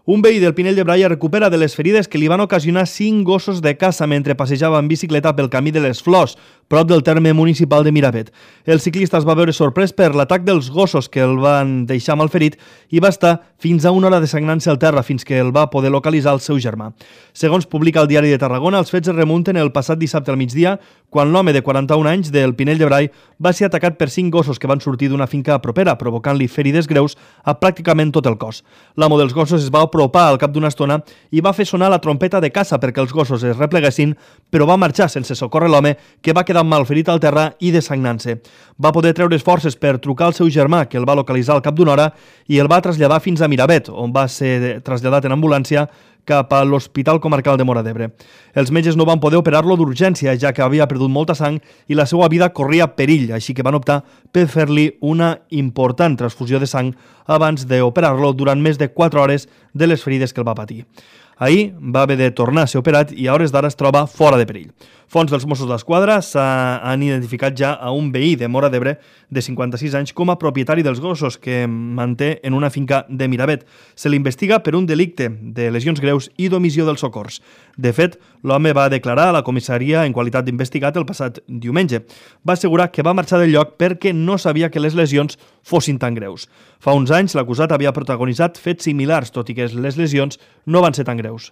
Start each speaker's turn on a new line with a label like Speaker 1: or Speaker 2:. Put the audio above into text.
Speaker 1: Un veí del Pinell de Brai es recupera de les ferides que li van ocasionar 5 gossos de caça mentre passejava en bicicleta pel camí de les Flors, prop del terme municipal de Miravet. El ciclista es va veure sorprès per l'atac dels gossos que el van deixar malferit i va estar fins a una hora desagnant-se al terra fins que el va poder localitzar el seu germà. Segons publica el Diari de Tarragona, els fets es remunten el passat dissabte al migdia, quan l'home de 41 anys del Pinell de Brai va ser atacat per 5 gossos que van sortir d'una finca propera, provocant-li ferides greus a pràcticament tot el cos. L'amo dels gossos es va apropar al cap d'una estona i va fer sonar la trompeta de caça perquè els gossos es repleguessin, però va marxar sense socórrer l'home, que va quedar malferit al terra i desagnant-se. Va poder treure's forces per trucar al seu germà, que el va localitzar al cap d'una hora i el va traslladar fins a Miravet, on va ser traslladat en ambulància cap a l'Hospital Comarcal de Móra d'Ebre. Els metges no van poder operar-lo d'urgència, ja que havia perdut molta sang i la seva vida corria perill, així que van optar per fer-li una important transfusió de sang abans d'operar-lo durant més de 4 hores de les ferides que el va patir. Ahir va haver de tornar a ser operat i a hores d'ara es troba fora de perill. Fonts dels Mossos d'Esquadra han identificat ja a un veí de Móra d'Ebre de 56 anys com a propietari dels gossos que manté en una finca de Miravet. Se l'investiga per un delicte de lesions greus i d'omissió dels socors. De fet, l'home va declarar a la comissaria en qualitat d'investigat el passat diumenge. Va assegurar que va marxar del lloc perquè no sabia que les lesions fossin tan greus. Fa uns anys, l'acusat havia protagonitzat fets similars, tot i que les lesions no van ser tan greus.